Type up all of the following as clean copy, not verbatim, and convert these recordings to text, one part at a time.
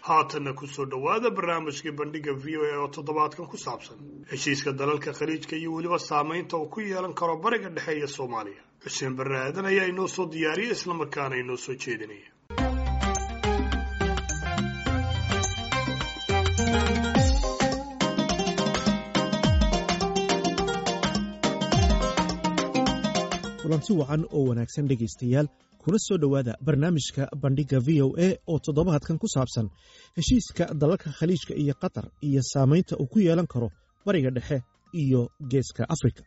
Haatanna kusoo dhowaada barnaamijkii Bandhigga VOA oo toddobaadkan ku saabsan heshiiska dalalka Khaliijka iyo weliba saamaynta uu ku yeelan karo Bariga Dhexe iyo Soomaaliya. Xuseen Barre Aadan ayaa inoo soo diyaariyay, islamarkaana inoo soo jeedinaya. Kulanti wacan oo wanaagsan, dhegaystayaal, kuna soo dhowaada barnaamijka Bandhigga VOA oo toddobaadkan ku saabsan heshiiska dalalka Khaliijka iyo Qatar iyo saamaynta uu ku yeelan karo Bariga Dhexe iyo Geeska Afrika.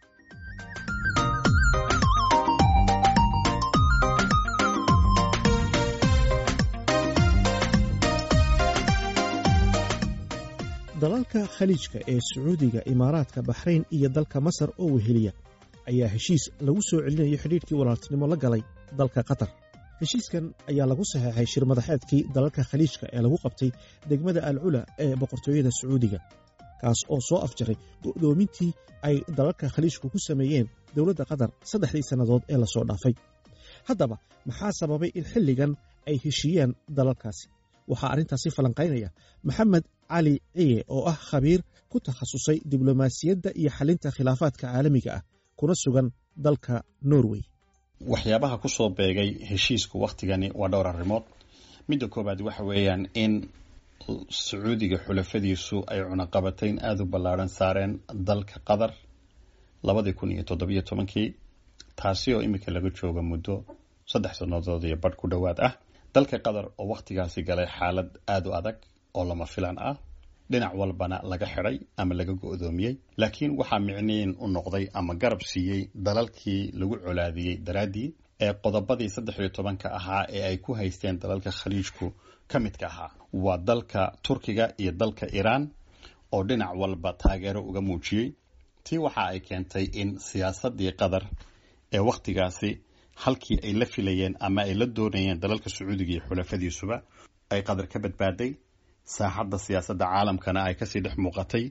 Dalalka Khaliijka ee Sacuudiga, Imaaraadka, Baxrayn iyo dalka Masar oo weheliya ayaa heshiis lagu soo celinayo xidhiidhkii walaaltinimo la galay dalka Qatar. Heshiiskan ayaa lagu saxeexay shir madaxeedkii dalalka Khaliijka ee lagu qabtay degmada Al Cula ee Boqortooyada Sacuudiga, kaas oo soo afjaray go'doomintii ay dalalka Khaliijku ku sameeyeen dowladda Qatar 3dii sannadood ee lasoo dhaafay. Haddaba, maxaa sababay in xilligan ay heshiiyaan dalalkaasi? Waxaa arrintaasi falanqaynaya Maxamed Cali Ciye oo ah khabiir ku takhasusay diblomaasiyadda iyo xalinta khilaafaadka caalamiga ah, kuna sugan dalka Norway. Waxyaabaha ku soo beegay heshiisku wakhtigani waa dhowr arrimood. Midda koowaad waxa weeyaan in Sacuudiga xulafadiisu ay cunaqabatayn aada u ballaadhan saareen dalka Qatar 2017-kii, taasi oo iminka laga jooga muddo 3 sannadood iyo badh ku dhowaad ah. Dalka Qatar oo wakhtigaasi galay xaalad aada u adag oo lama filaan ah, dhinac walbana laga xidhay ama laga go-doomiyey, laakiin waxaa micniin u noqday ama garab siiyey dalalkii lagu colaadiyey daraaddii ee qodobadii 13-ka ahaa ee ay ku haysteen dalalka Khaliijku ka midka ahaa, waa dalka Turkiga iyo dalka Iiraan oo dhinac walba taageero uga muujiyey. Tii waxa ay keentay in siyaasadii Qatar ee wakhtigaasi halkii ay la filayeen ama ay la doonayeen dalalka Sacuudiga iyo xulafadiisuba ay Qatar ka badbaaday, saaxadda siyaasadda caalamkana ay kasii dhex muuqatay,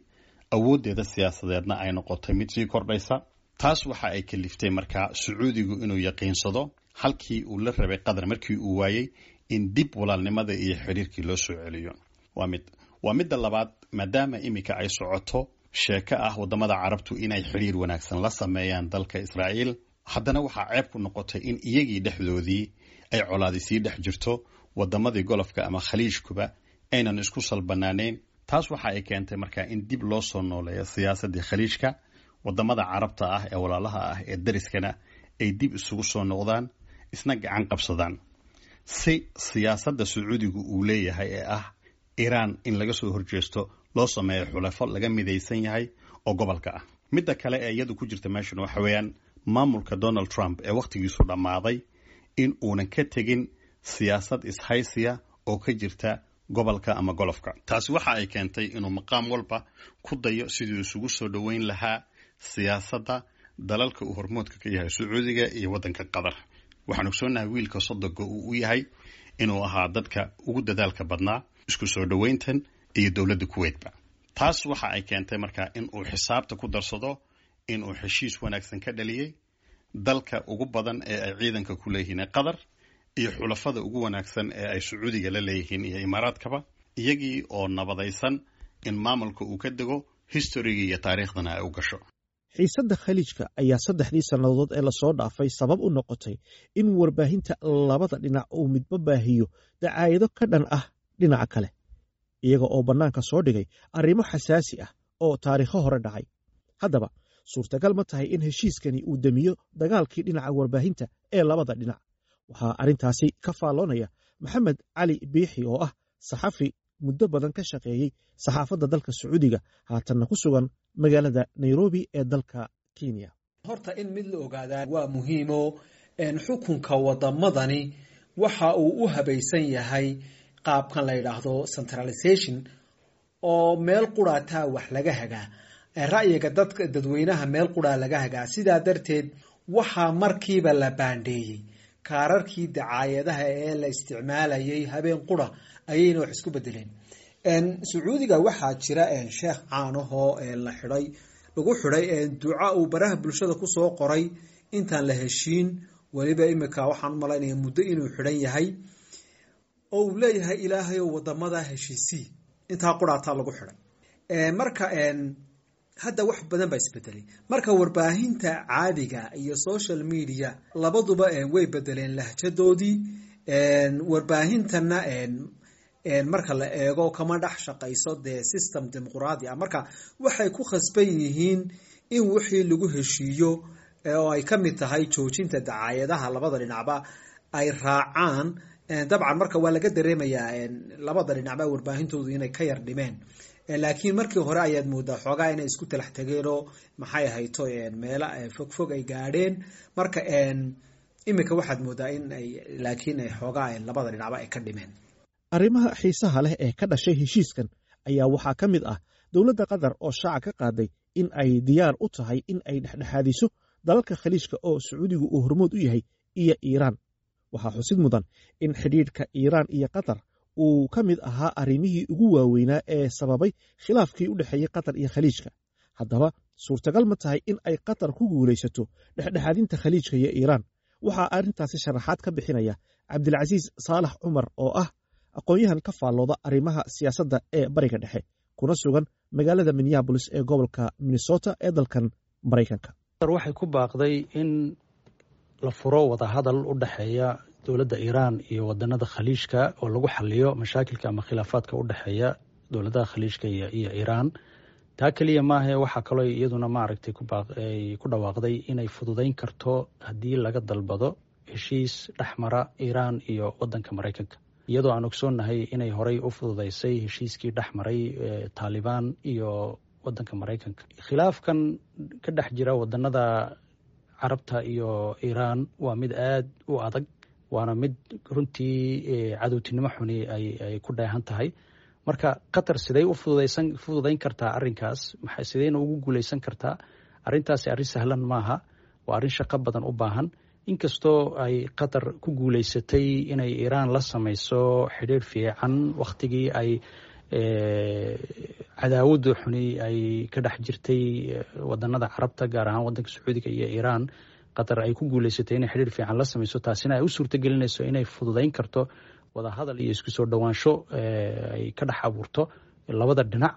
awooddeeda siyaasadeedna ay noqotay mid sii kordhaysa. Taas waxa ay kaliftay markaa Sacuudigu inuu yaqiinsado halkii uu la rabay Qatar markii uu waayey in dib walaalnimada iyo xiriirkii loo soo celiyo. Waa mid. Waa midda labaad, maadaama iminka ay socoto sheeko ah wadamada Carabtu inay xiriir wanaagsan la sameeyaan dalka Israa'iil, haddana waxaa ceeb ku noqotay in iyagii dhexdoodii ay colaadi sii dhex jirto, wadamadii Golfka ama Khaliijkuba aynan isku salbanaaneyn. Taas waxa ay keentay markaa in dib loo soo nooleeyo siyaasadii Khaliijka, wadamada Carabta ah ee walaalaha ah ee dariskana ay dib isugu soo noqdaan, isna gacan qabsadaan, si siyaasadda Sacuudigu uu leeyahay ee ah Iiraan in laga soo horjeesto loo sameeyo xulafo laga midaysan yahay oo gobolka ah. Midda kale ee iyadu ku jirta meeshan waxa weeyaan maamulka Donald Trump ee wakhtigiisu dhammaaday in uunan ka tegin siyaasad ishaysiya oo ka jirta gobolka ama Golfka. Taasi waxa ay keentay inuu maqaam walba ku dayo sidii isugu soo dhoweyn lahaa siyaasadda dalalka uu hormoodka ka yahay Sacuudiga iyo waddanka Qatar. Waxaan ogsoonahay wiilka sodoga uu u yahay inuu ahaa dadka ugu dadaalka badnaa isku soo dhoweyntan iyo dowladda Kuweytba. Taas waxa ay keentay markaa in uu xisaabta ku darsado inuu heshiis wanaagsan ka dhaliyey dalka ugu badan ee ay ciidanka ku leeyihiin ee Qatar iyo xulafada ugu wanaagsan ee ay Sacuudiga la leeyihiin iyo Imaaraadkaba, iyagii oo nabadaysan in maamulka uu ka dego, historigii iyo taariikhdana ay u gasho. Xiisadda Khaliijka ayaa 3dii sannadood ee lasoo dhaafay sabab u noqotay in warbaahinta labada dhinac uu midba baahiyo dacaayado ka dhan ah dhinaca kale, iyaga oo bannaanka soo dhigay arrimo xasaasi ah oo taariikho hore dhacay. Haddaba, suurtagal ma tahay in heshiiskani uu demiyo dagaalkii dhinaca warbaahinta ee labada dhinac? Waxaa arrintaasi ka faalloonaya Maxamed Cali Biixi oo ah saxafi muddo badan ka shaqeeyey saxaafadda dalka Sacuudiga, haatanna ku sugan magaalada Nairobi ee dalka Kenya. Horta in mid la ogaadaa waa muhiimo: xukunka wadamadani waxa uu u habaysan yahay qaabkan la yidhaahdo centralization, oo meel quraataa wax laga hagaa, ra'yiga dadka dadweynaha meel quraa laga hagaa. Sidaa darteed waxaa markiiba la baandheeyey kaararkii dacaayadaha ee la isticmaalayay. Habeen qura ayayna wax isku bedeleen. Sacuudiga waxaa jira sheekh caanahoo la xidhay, lagu xidhay duca uu baraha bulshada kusoo qoray intaan la heshiin. Weliba imika waxaan u malaynaya muddo inuu xidhan yahay. oo uu leeyahay ilaahayow wadamada heshiisii, intaa quraataa lagu xidhay. Marka hadda wax badan baa isbedelay. Marka warbaahinta caadiga iyo social media labaduba way bedeleen lahjadoodii. Warbaahintana marka la eego kama dhex shaqayso dee system dimuqraadi ah. Marka waxay ku khasban yihiin in wixii lagu heshiiyo oo ay ka mid tahay joojinta dacaayadaha labada dhinacba ay raacaan. Dabcan marka waa laga dareemayaa labada dhinacba warbaahintoodu inay ka yar dhimeen, laakiin markii hore ayaad moodaa xoogaa inay isku talax tageenoo maxay ahayto meelo fogfog ay gaadheen. Marka iminka waxaad moodaa in ay laakiin ay xoogaa labada dhinacba ay ka dhimeen. Arrimaha xiisaha leh ee ka dhashay heshiiskan ayaa waxaa ka mid ah dowladda Qatar oo shaaca ka qaaday in ay diyaar u tahay in ay dhexdhexaadiso dalalka Khaliijka oo Sacuudigu uu hormood u yahay iyo Iiraan. Waxaa xusid mudan in xidhiidhka Iiraan iyo Qatar uu ka mid ahaa arrimihii ugu waaweynaa ee sababay khilaafkii u dhexeeyey Qatar iyo Khaliijka. Haddaba suurtagal ma tahay in ay Qatar ku guulaysato dhexdhexaadinta Khaliijka iyo Iiraan? Waxaa arrintaasi sharaxaad ka bixinaya Cabdilcasiis Saalax Cumar oo ah aqoon-yahan ka faallooda arrimaha siyaasadda ee Bariga Dhexe, kuna sugan magaalada Minneabolis ee gobolka Minnesota ee dalkan Maraykanka. Waxay ku baaqday in la furo wadahadal u dhexeeya dowladda Iiraan iyo wadanada Khaliijka oo lagu xaliyo mashaakilka ama khilaafaadka u dhexeeya dowladaha Khaliijka iyo Iiraan. Taa keliya maahae, waxaa kaloo iyaduna maaragtay ku dhawaaqday inay fududeyn karto haddii laga dalbado heshiis dhexmara Iiraan iyo wadanka Maraykanka, iyadoo aan ogsoonnahay inay horey u fududeysay heshiiskii dhexmaray Taalibaan iyo wadanka Maraykanka. Khilaafkan ka dhex jira wadanada Carabta iyo Iiraan waa mid aada u adag, waana mid runtii cadowtinimo xuni ay ku dheehan tahay. Marka Qatar siday u fududeyn kartaa arrinkaas, sidayna ugu guuleysan kartaa arrintaasi? Arrin sahlan maaha, waa arrin shaqo badan u baahan. Inkastoo ay Qatar ku guuleysatay inay Iiraan la sameyso xidhiir fiican wakhtigii ay cadaawadu xuni ay ka dhex jirtay wadanada Carabta, gaar ahaan wadanka Sacuudiga iyo Iiraan, Qatar ay ku guuleysatay inay xidhiir fiican la sameyso, taasina ay u suurtagelinayso inay fududeyn karto wadahadal iyo isku soo dhowaansho ay ka dhex abuurto labada dhinac.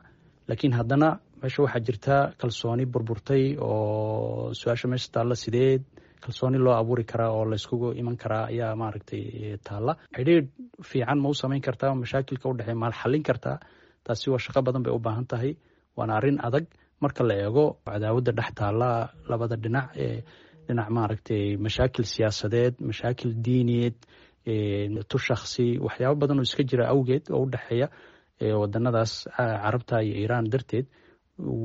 Laakiin haddana meesha waxaa jirta kalsooni burburtay, oo su-aasha meesha taalla sideed kalsooni loo abuuri karaa oo layskugu iman karaa ayaa maaragtay taalla. Xidhiir fiican ma u samayn kartaa mashaakilka u dhexeey, maal xallin kartaa? Taasi waa shaqo badan bay u baahan tahay, waana arrin adag marka la eego cadaawadda dhex taalla labada dhinac ee dhinac maaragtay mashaakil siyaasadeed, mashaakil diiniyeed, tu shakhsi, waxyaabo badan oo iska jira awgeed oo u dhexeeya wadanadaas Carabta iyo Iiraan darteed.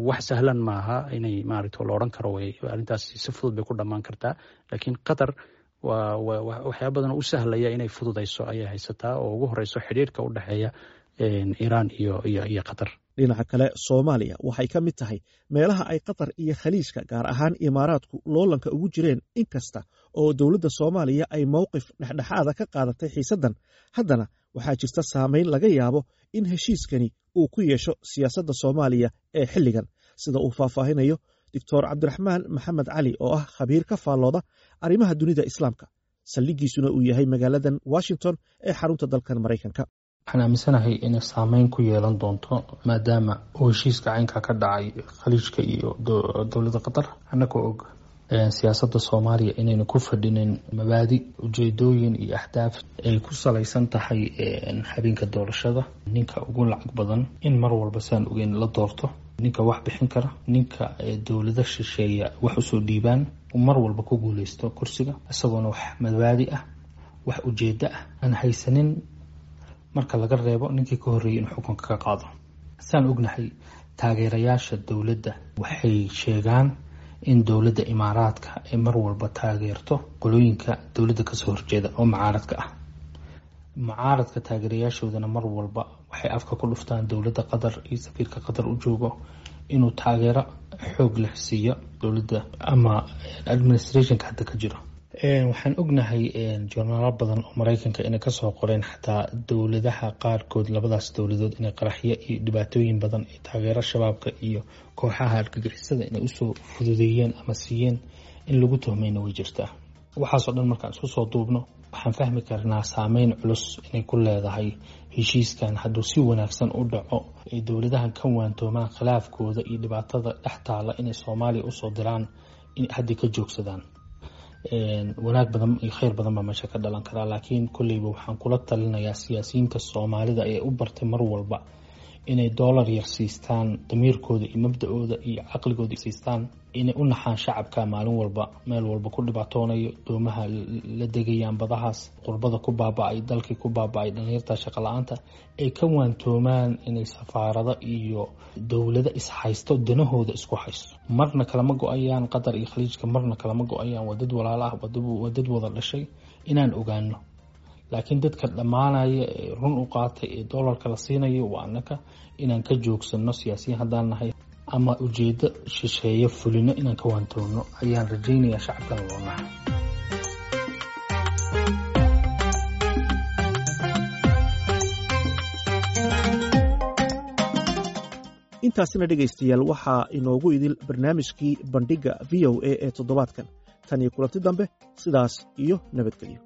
Wax sahlan maaha inay maaragta la odhan karo way arrintaas si fudud bay ku dhammaan kartaa, laakiin Qatar waa waxyaaba badan oo u sahlaya inay fududayso ayay haysataa, oo ugu horeyso xidhiirka u dhexeeya Iiraan iyo Qatar. Dhinaca kale, Soomaaliya waxay ka mid tahay meelaha ay Qatar iyo Khaliijka, gaar ahaan Imaaraadku, loolanka ugu jireen. Inkasta oo dowladda Soomaaliya ay mowqif dhexdhexaada ka qaadatay xiisaddan, haddana waxaa jirta saameyn laga yaabo in heshiiskani uu ku yeesho siyaasadda Soomaaliya ee xilligan, sida uu faahfaahinayo Doctor Cabdiraxmaan Maxamed Cali oo ah khabiir ka faallooda arrimaha dunida Islaamka, saldhiggiisuna uu yahay magaaladan Washington ee xarunta dalkan Maraykanka. Waxaan aaminsanahay inay saameyn ku yeelan doonto, maadaama uu heshiiska caynka ka dhacay Khaliijka iyo dowladda Qatar. Annagoo og siyaasadda Soomaaliya inaynu ku fadhinin mabaadi, ujeedooyin iyo ahdaaf ay ku salaysan tahay habeenka doorashada ninka ugu lacag badan in mar walba saan ogeyn la doorto, ninka wax bixin kara, ninka dowlada shisheeya wax usoo dhiibaan mar walba ku guuleysto kursiga, isagoona wax mabaadi ah, wax ujeedo ah aan haysanin, marka laga reebo ninkii ka horreeyay inuu xukunka ka qaado. Saan ognahay, taageerayaasha dowladda waxay sheegaan in dowladda Imaaraadka ay mar walba taageerto qolooyinka dowladda kasoo horjeeda oo mucaaradka ah. Mucaaradka taageerayaashoodana mar walba waxay afka ku dhuftaan dowladda Qatar iyo safiirka Qatar u joogo inuu taageero xoog leh siiyo dowladda ama administrationka hadda ka jiro. Waxaan ognahay jornaalo badan oo Mareykanka inay kasoo qoreen xataa dowladaha qaarkood, labadaas dowladood, inay qaraxyo iyo dhibaatooyin badan ee taageero shabaabka iyo kooxaha argagixisada inay usoo fududeeyeen ama siiyeen in lagu tuhmayna way jirtaa. Waxaasoo dhan markaan isku soo duubno, Waxaan fahmi karnaa saameyn culus inay ku leedahay heshiiskan hadduu si wanaagsan u dhaco, ay dowladahan ka waantoomaan khilaafkooda iyo dhibaatada dhex taala inay Soomaaliya usoo diraan, in haddii ka joogsadaan, wanaag badan iyo kheyr badan baa meesha ka dhalan karaa. Laakiin kolleyba waxaan kula talinayaa siyaasiyiinta Soomaalida ee u bartay mar walba inay doolar yar siistaan damiirkooda iyo mabda-ooda iyo caqligooda siistaan, inay u naxaan shacabka maalin walba meel walba ku dhibaatoonayo, doomaha la degayaan, badahaas qurbada ku baaba-ay, dalkii ku baaba-ay, dhalinyarta shaqo la-aanta, ay ka waantoomaan inay safaarado iyo dowlado ishaysto, danahooda isku haysto. Marna kalama go-ayaan Qatar iyo Khaliijka, marna kalama go-ayaan. Waa dad walaalo ah, waa dad wada dhashay, inaan ogaano. Laakiin dadka dhammaanaya ee run u qaatay ee doolarka la siinayo waa annaka. Inaan ka joogsano siyaasiyiin haddaan nahay ama ujeedo shisheeye fulino, inaan ka waantoono ayaan rajaynayaa, shacabkana loo nahay. Intaasina dhegaystayaal waxaa inoogu idil barnaamijkii Bandhigga VOA ee toddobaadkan. Tan iyo kulanti dambe, sidaas iyo nabadgelyo.